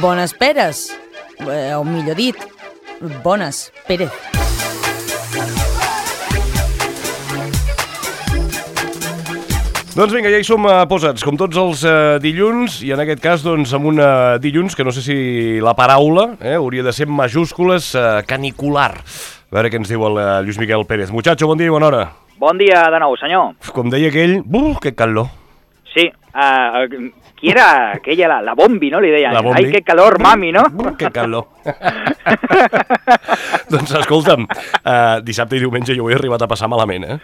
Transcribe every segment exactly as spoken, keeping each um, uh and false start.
Bones Peres, eh, o millor dit, Bones Pérez. Doncs vinga, ja hi som uh, posats, com tots els uh, dilluns, i en aquest cas, doncs, amb un uh, dilluns que no sé si la paraula eh, hauria de ser en majúscules, uh, canicular. A veure què ens diu el uh, Lluís Miquel Pérez. Muchacho, bon dia i bona hora. Bon dia de nou, senyor. Com deia aquell, buf, que calor. Sí, uh, qui era aquella, la, la Bombi, no? Li deien, la Bombi. Ai, que calor, mami, no? Buf, que calor. Doncs escolta'm, uh, dissabte i diumenge jo ho he arribat a passar malament, eh?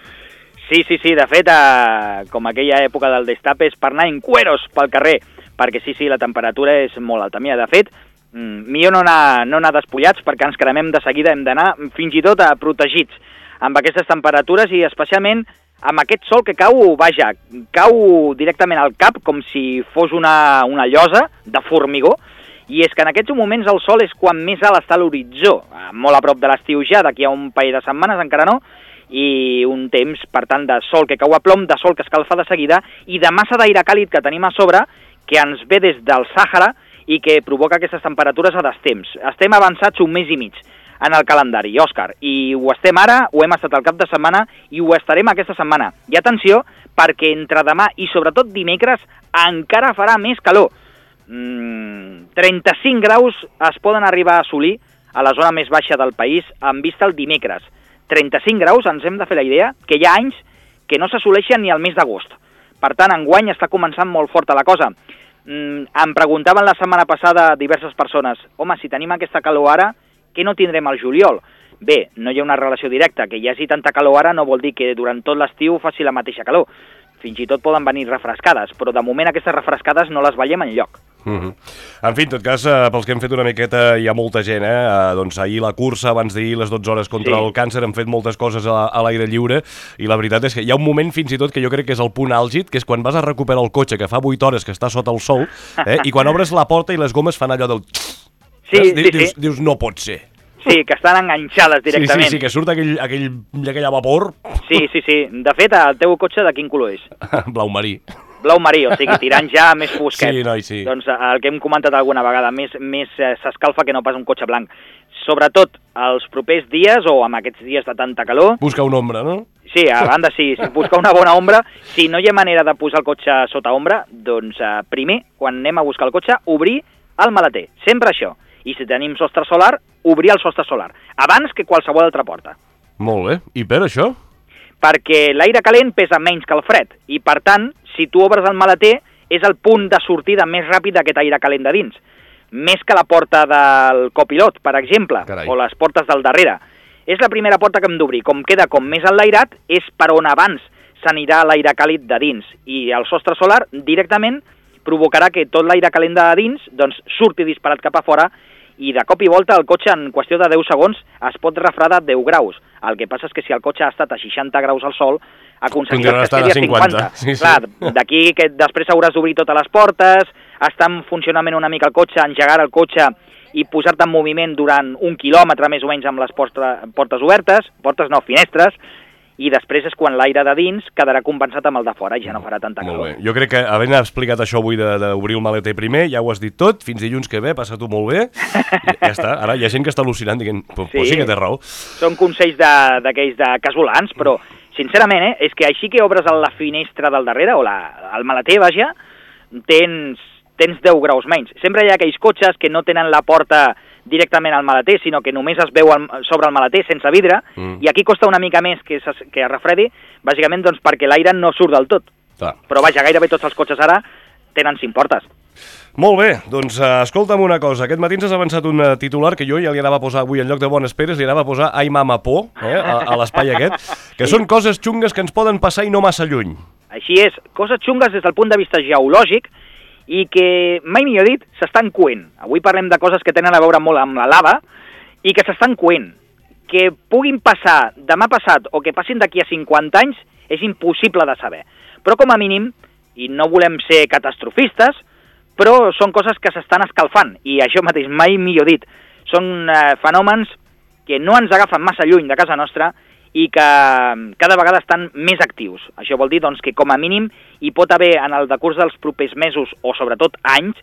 Sí, sí, sí, de fet, eh, com aquella època del destape és per anar en cueros pel carrer, perquè sí, sí, la temperatura és molt alta. Mira, de fet, millor no anar, no anar despullats perquè ens cremem de seguida, hem d'anar fins i tot a protegits amb aquestes temperatures i especialment amb aquest sol que cau, vaja, cau directament al cap com si fos una, una llosa de formigó, i és que en aquests moments el sol és quan més alt està a l'horitzó, molt a prop de l'estiu ja, d'aquí a un parell de setmanes encara no, i un temps, per tant, de sol que cau a plom, de sol que escalfa de seguida, i de massa d'aire càlid que tenim a sobre, que ens ve des del Sàhara i que provoca aquestes temperatures a destemps. Estem avançats un mes i mig en el calendari, Òscar, i ho estem ara, ho hem estat al cap de setmana, i ho estarem aquesta setmana. I atenció, perquè entre demà i sobretot dimecres encara farà més calor. Mm, trenta-cinc graus es poden arribar a assolir a la zona més baixa del país en vista el dimecres. trenta-cinc graus, ens hem de fer la idea que hi ha anys que no s'assoleixen ni al mes d'agost. Per tant, enguany està començant molt forta la cosa. Mm, em preguntaven la setmana passada diverses persones, home, si tenim aquesta calor ara, què no tindrem al juliol? Bé, no hi ha una relació directa. Que hi hagi tanta calor ara no vol dir que durant tot l'estiu faci la mateixa calor. Fins i tot poden venir refrescades, però de moment aquestes refrescades no les veiem enlloc. Uh-huh. En fi, en tot cas, eh, pels que hem fet una miqueta, hi ha molta gent, eh? eh doncs ahir la cursa, abans d'ahir les dotze hores contra sí. el càncer, hem fet moltes coses a, a l'aire lliure, i la veritat és que hi ha un moment fins i tot que jo crec que és el punt àlgid, que és quan vas a recuperar el cotxe, que fa vuit hores que està sota el sol, eh? i quan obres la porta i les gomes fan allò del... Sí, sí, dius, sí. dius, no pot ser. Sí, que estan enganxades directament. Sí, sí, sí, que surt aquell, aquell, aquella vapor. Sí, sí, sí. De fet, el teu cotxe de quin color és? Blau marí. Blau marí, o sigui, tirant ja més fosquet. Sí, noi, sí. Doncs el que hem comentat alguna vegada, més, més eh, s'escalfa que no pas un cotxe blanc. Sobretot els propers dies, o amb aquests dies de tanta calor... Busca una ombra, no? Sí, a banda sí, buscar una bona ombra. Si no hi ha manera de posar el cotxe sota ombra, doncs eh, primer, quan anem a buscar el cotxe, obrir el maleter. Sempre això. I si tenim sostre solar, obrir el sostre solar, abans que qualsevol altra porta. Molt bé. I per això? Perquè l'aire calent pesa menys que el fred, i per tant, si tu obres el maleter, és el punt de sortida més ràpid d'aquest aire calent de dins. Més que la porta del copilot, per exemple, Carai. o les portes del darrere. És la primera porta que hem d'obrir. Com queda com més enlairat, és per on abans s'anirà l'aire càlid de dins. I el sostre solar directament provocarà que tot l'aire calent de dins doncs, surti disparat cap a fora, i de cop i volta el cotxe en qüestió de deu segons es pot refredar deu graus. El que passa és que si el cotxe ha estat a seixanta graus al sol, aconseguiràs que estigui a cinquanta. Sí, sí. Clar, d'aquí que després hauràs d'obrir totes les portes, estar en funcionament una mica el cotxe, engegar el cotxe i posar-te en moviment durant un quilòmetre més o menys amb les portes obertes, portes no, finestres, i després és quan l'aire de dins quedarà compensat amb el de fora i ja no farà tanta calor. Molt bé. Jo crec que havent explicat això avui d'obrir el maleter primer, ja ho has dit tot, fins dilluns que ve, passa tu molt bé, i ja està. Ara hi ha gent que està al·lucinant dient, pues sí, sí que té raó. Són consells d'aquells de, de casolans, però sincerament, eh, és que així que obres la finestra del darrere, o la, el maleter, vaja, tens, tens deu graus menys. Sempre hi ha aquells cotxes que no tenen la porta directament al maleter, sinó que només es veu el, sobre el maleter sense vidre, mm. i aquí costa una mica més que es, que es refredi, bàsicament doncs, perquè l'aire no surt del tot. Clar. Però vaja, gairebé tots els cotxes ara tenen cinc portes. Molt bé, doncs uh, escolta'm una cosa, aquest matí ens has avançat un uh, titular que jo ja li anava a posar avui en lloc de Bones Peres, li anava a posar Ai mama por, eh, a, a l'espai aquest, que sí. Són coses xungues que ens poden passar i no massa lluny. Així és, coses xungues des del punt de vista geològic, i que, mai millor dit, s'estan coent. Avui parlem de coses que tenen a veure molt amb la lava i que s'estan coent. Que puguin passar demà passat o que passin d'aquí a cinquanta anys és impossible de saber. Però com a mínim, i no volem ser catastrofistes, però són coses que s'estan escalfant, i això mateix, mai millor dit. Són eh, fenòmens que no ens agafen massa lluny de casa nostra i que cada vegada estan més actius. Això vol dir doncs, que com a mínim hi pot haver en el decurs dels propers mesos o sobretot anys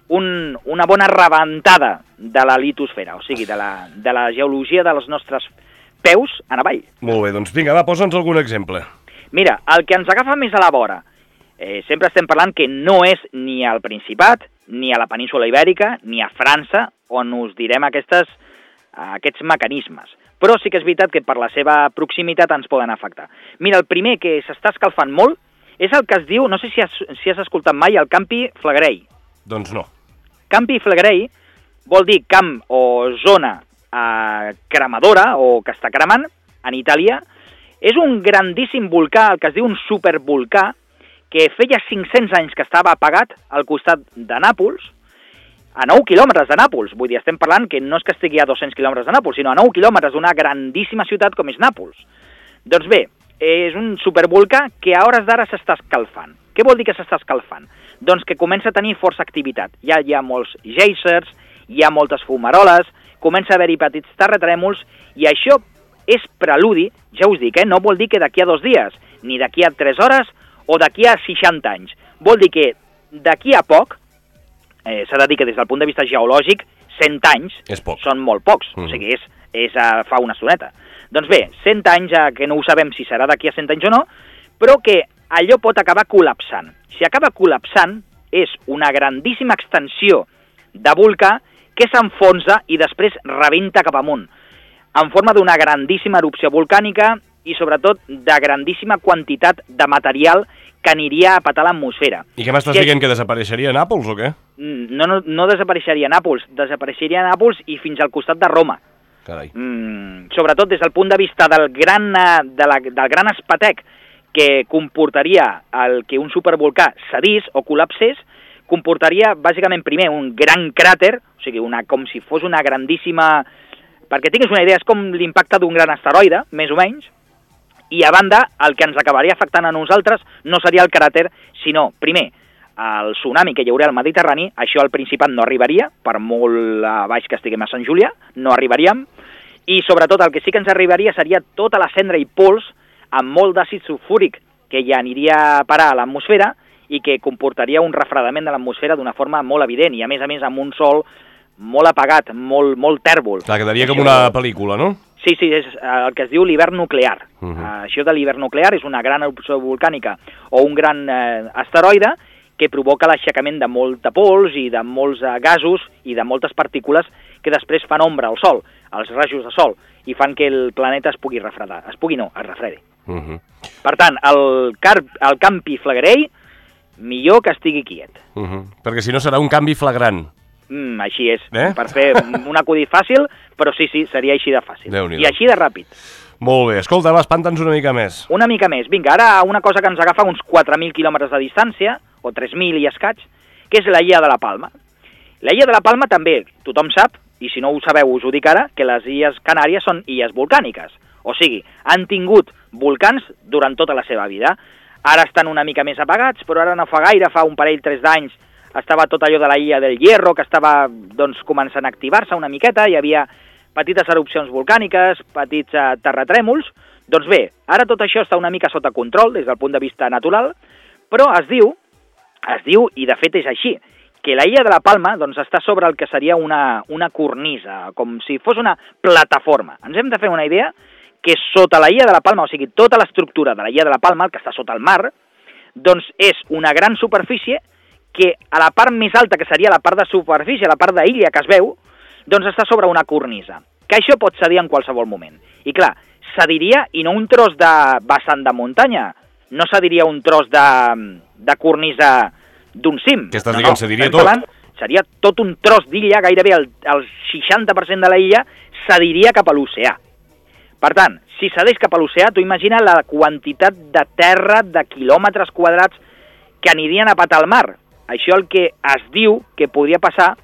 un, una bona rebentada de la litosfera, o sigui, de la, de la geologia dels nostres peus en avall. Molt bé, doncs vinga, va, posa'ns algun exemple. Mira, el que ens agafa més a la vora, eh, sempre estem parlant que no és ni al Principat, ni a la península Ibèrica, ni a França, on us direm aquestes, aquests mecanismes. Però sí que és veritat que per la seva proximitat ens poden afectar. Mira, el primer que s'està escalfant molt és el que es diu, no sé si has, si has escoltat mai, el Campi Flegrei. Doncs no. Campi Flegrei vol dir camp o zona eh, cremadora o que està cremant en Itàlia. És un grandíssim volcà, el que es diu un supervolcà, que feia cinc-cents anys que estava apagat al costat de Nàpols, a nou quilòmetres de Nàpols. Vull dir, estem parlant que no és que estigui a dos-cents quilòmetres de Nàpols, sinó a nou quilòmetres d'una grandíssima ciutat com és Nàpols. Doncs bé, és un supervolcà que a hores d'ara s'està escalfant. Què vol dir que s'està escalfant? Doncs que comença a tenir força activitat. Ja hi ha molts géisers, hi ha moltes fumaroles, comença a haver-hi petits terratrèmols, i això és preludi, ja us dic, eh? No vol dir que d'aquí a dos dies, ni d'aquí a tres hores, o d'aquí a seixanta anys. Vol dir que d'aquí a poc, eh, s'ha de dir que des del punt de vista geològic, cent anys són molt pocs, mm. o sigui, és, és uh, fa una estoneta. Doncs bé, cent anys, uh, que no ho sabem si serà d'aquí a cent anys o no, però que allò pot acabar col·lapsant. Si acaba col·lapsant, és una grandíssima extensió de volcà que s'enfonsa i després rebenta cap amunt, en forma d'una grandíssima erupció volcànica i sobretot de grandíssima quantitat de material que aniria a petar l'atmosfera. I què m'estàs si dient, que desapareixeria a Nàpols o què? No, no, no desapareixeria a Nàpols, desapareixeria a Nàpols i fins al costat de Roma. Carai. Mm, sobretot des del punt de vista del gran, de la, del gran espatec que comportaria el que un supervolcà cedís o col·lapsés, comportaria bàsicament primer un gran cràter, o sigui, una, com si fos una grandíssima... Perquè tinguis una idea, és com l'impacte d'un gran asteroide, més o menys, i a banda, el que ens acabaria afectant a nosaltres no seria el cràter, sinó, primer, el tsunami que hi hauria al Mediterrani, això al Principat no arribaria, per molt a baix que estiguem a Sant Julià, no arribaríem, i sobretot el que sí que ens arribaria seria tota la cendra i pols amb molt d'àcid sulfúric que ja aniria a parar a l'atmosfera i que comportaria un refredament de l'atmosfera d'una forma molt evident, i a més a més amb un sol molt apagat, molt, molt tèrbol. Clar, quedaria com una pel·lícula, no? Sí, sí, és el que es diu l'hivern nuclear. Uh -huh. uh, això de l'hivern nuclear és una gran erupció volcànica o un gran eh, asteroide que provoca l'aixecament de molta pols i de molts eh, gasos i de moltes partícules que després fan ombra al Sol, als rajos de Sol, i fan que el planeta es pugui refredar. Es pugui no, es refredi. Uh -huh. Per tant, el, car el Campi Flegrei, millor que estigui quiet. Uh -huh. Perquè si no serà un canvi flagrant. Mm, així és, eh? Per fer un acudit fàcil, però sí, sí, seria així de fàcil. I així de ràpid. Molt bé, escolta, va, espanta'ns una mica més. Una mica més. Vinga, ara una cosa que ens agafa uns quatre mil quilòmetres de distància, o tres mil i escaig, que és la Illa de la Palma. La Illa de la Palma també, tothom sap, i si no ho sabeu us ho dic ara, que les Illes Canàries són illes volcàniques. O sigui, han tingut volcans durant tota la seva vida. Ara estan una mica més apagats, però ara no fa gaire, fa un parell, tres d'anys, estava tot allò de la Illa del Hierro, que estava doncs, començant a activar-se una miqueta, hi havia petites erupcions volcàniques, petits eh, terratrèmols. Doncs bé, ara tot això està una mica sota control des del punt de vista natural, però es diu, es diu, i de fet és així, que la Illa de la Palma doncs, està sobre el que seria una, una cornisa, com si fos una plataforma. Ens hem de fer una idea que sota la Illa de la Palma, o sigui, tota l'estructura de la Illa de la Palma, el que està sota el mar, doncs és una gran superfície que a la part més alta, que seria la part de superfície, la part d'illa que es veu, doncs està sobre una cornisa, que això pot cedir en qualsevol moment. I clar, cediria, i no un tros de vessant de muntanya, no cediria un tros de, de cornisa d'un cim. Que estàs no, dient, no, cediria tot? Parlant, seria tot un tros d'illa, gairebé el, el seixanta per cent de la illa cediria cap a l'oceà. Per tant, si cedeix cap a l'oceà, tu imagina la quantitat de terra, de quilòmetres quadrats que anirien a patar al mar. Això el que es diu que podria passar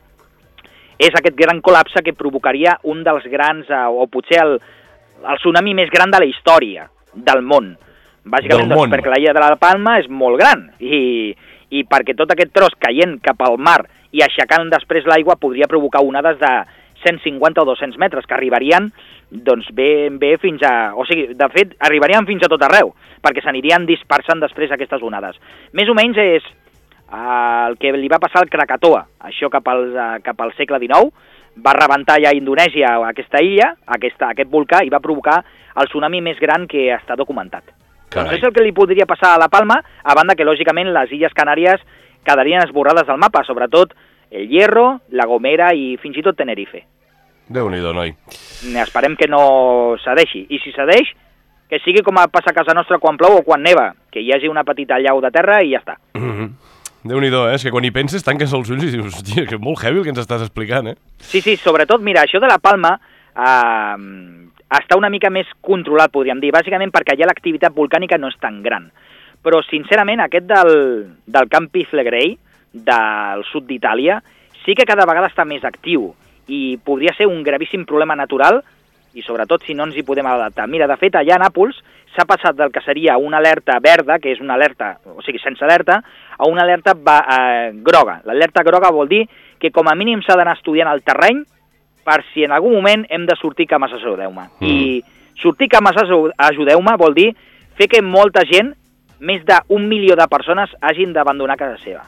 és aquest gran col·lapse que provocaria un dels grans, o potser el, el tsunami més gran de la història del món. Bàsicament del doncs, món. perquè la Illa de la Palma és molt gran i, i perquè tot aquest tros caient cap al mar i aixecant després l'aigua podria provocar onades de cent cinquanta o dos-cents metres que arribarien doncs bé, bé fins a... O sigui, de fet, arribarien fins a tot arreu, perquè s'anirien dispersant després aquestes onades. Més o menys és... el que li va passar al Krakatoa, això cap al, cap al segle dinou, va rebentar ja a Indonèsia aquesta illa, aquesta, aquest volcà, i va provocar el tsunami més gran que està documentat. Doncs és el que li podria passar a La Palma, a banda que, lògicament, les Illes Canàries quedarien esborrades del mapa, sobretot el Hierro, La Gomera i fins i tot Tenerife. Déu-n'hi-do, noi. Esperem que no cedeixi. I si cedeix, que sigui com passa a casa nostra quan plou o quan neva, que hi hagi una petita llau de terra i ja està. Mm-hmm. Déu-n'hi-do, eh? És que quan hi penses tanques els ulls i dius, hòstia, que és molt heavy el que ens estàs explicant, eh? Sí, sí, sobretot, mira, això de La Palma eh, està una mica més controlat, podríem dir, bàsicament perquè allà l'activitat volcànica no és tan gran. Però, sincerament, aquest del, del Campi Flegrei, del sud d'Itàlia, sí que cada vegada està més actiu i podria ser un gravíssim problema natural i sobretot si no ens hi podem adaptar. Mira, de fet, allà a Nàpols s'ha passat del que seria una alerta verda, que és una alerta, o sigui, sense alerta, a una alerta va, eh, groga. L'alerta groga vol dir que com a mínim s'ha d'anar estudiant el terreny per si en algun moment hem de sortir cames ajudeu-me. Mm. I sortir cames ajudeu-me vol dir fer que molta gent, més d'un milió de persones, hagin d'abandonar casa seva.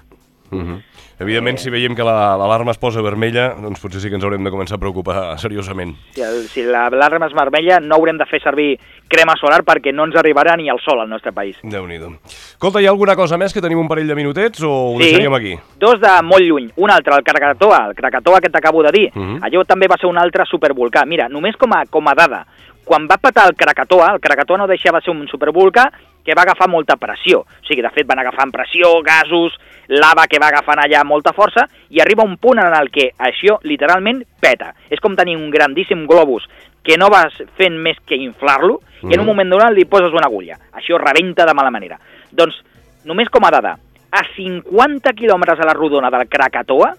Mm-hmm. Evidentment, si veiem que l'alarma es posa vermella, doncs potser sí que ens haurem de començar a preocupar seriosament. Si, el, si l'alarma és vermella, no haurem de fer servir crema solar perquè no ens arribarà ni el sol al nostre país. Déu-n'hi-do. Escolta, hi ha alguna cosa més, que tenim un parell de minutets, o ho sí, deixaríem aquí? Dos de molt lluny. Un altre, el Krakatoa, el Krakatoa que t'acabo de dir. Uh-huh. Allò també va ser un altre supervolcà. Mira, només com a, com a dada, quan va petar el Krakatoa, el Krakatoa no deixava de ser un supervolcà que va agafar molta pressió. O sigui, de fet, van agafant pressió, gasos, lava que va agafant allà molta força, i arriba un punt en el que això literalment peta. És com tenir un grandíssim globus que no vas fent més que inflar-lo, mm. i en un moment donat li poses una agulla. Això rebenta de mala manera. Doncs, només com a dada, a cinquanta quilòmetres a la rodona del Krakatoa,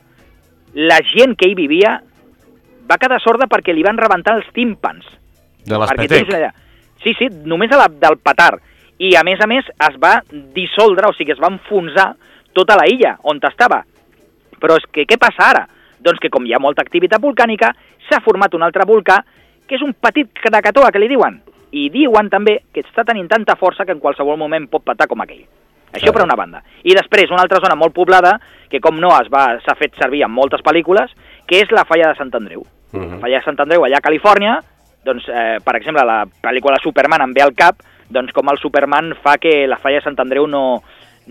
la gent que hi vivia va quedar sorda perquè li van rebentar els tímpans. De l'espetec. Sí, sí, només a la, del petar. I, a més a més, es va dissoldre, o sigui, es va enfonsar tota la illa on estava. Però és que què passa ara? Doncs que com hi ha molta activitat volcànica, s'ha format un altre volcà, que és un petit Krakatoa, que li diuen. I diuen també que està tenint tanta força que en qualsevol moment pot petar com aquell. Això per una banda. I després, una altra zona molt poblada, que com no es va s'ha fet servir en moltes pel·lícules, que és la falla de Sant Andreu. Uh-huh. La falla de Sant Andreu, allà a Califòrnia, doncs, eh, per exemple, la pel·lícula Superman em ve al cap, doncs com el Superman fa que la falla de Sant Andreu no,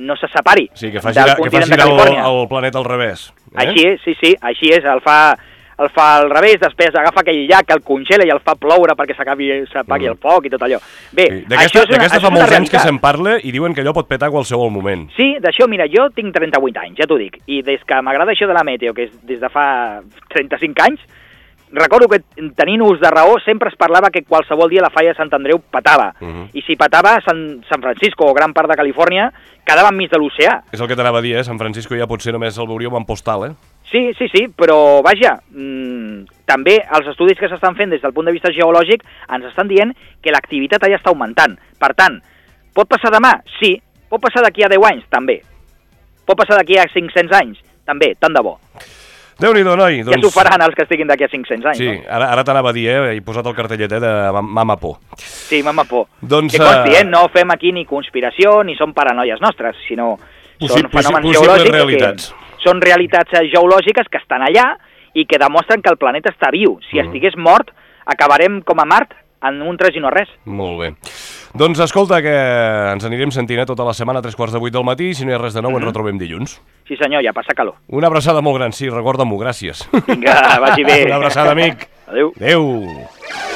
no se separi. Sí, que faci, que faci el, el planeta al revés. Eh? Així és, sí, sí, així és, el fa, el fa al revés, després agafa aquell llac, el congela i el fa ploure perquè s'acabi s'apagui mm. el foc i tot allò. Bé, sí. D'aquesta fa molts anys que se'n parla i diuen que allò pot petar a qualsevol moment. Sí, d'això, mira, jo tinc trenta-vuit anys, ja t'ho dic, i des que m'agrada això de la meteo, que és des de fa trenta-cinc anys, recordo que tenint ús de raó sempre es parlava que qualsevol dia la falla de Sant Andreu petava. Uh-huh. I si petava San, San Francisco o gran part de Califòrnia quedava enmig de l'oceà. És el que t'anava a dir, eh? San Francisco ja potser només el veuríem en postal, eh? Sí, sí, sí, però vaja, mmm, també els estudis que s'estan fent des del punt de vista geològic ens estan dient que l'activitat allà està augmentant. Per tant, pot passar demà? Sí. Pot passar d'aquí a deu anys? També. Pot passar d'aquí a cinc-cents anys? També, tant de bo. Déu-n'hi-do, noi. Doncs... Ja s'ho faran els que estiguin d'aquí a cinc-cents anys, sí, no? Sí, ara, ara t'anava a dir, eh? He posat el cartellet, eh, de Mama Por. Sí, Mama Por. Doncs, que consti, eh? No fem aquí ni conspiració ni són paranoies nostres, sinó Possi són fenòmens possibles geològics realitats. Que són realitats geològiques que estan allà i que demostren que el planeta està viu. Si mm. estigués mort, acabarem com a Mart en un tres i no res. Molt bé. Doncs escolta, que ens anirem sentint eh, tota la setmana a tres quarts de vuit del matí, i si no hi ha res de nou mm-hmm. ens retrobem dilluns. Sí senyor, ja passa calor. Una abraçada molt gran, sí, recorda-m'ho, gràcies. Vinga, vagi bé. Una abraçada, amic. Adéu. Adéu.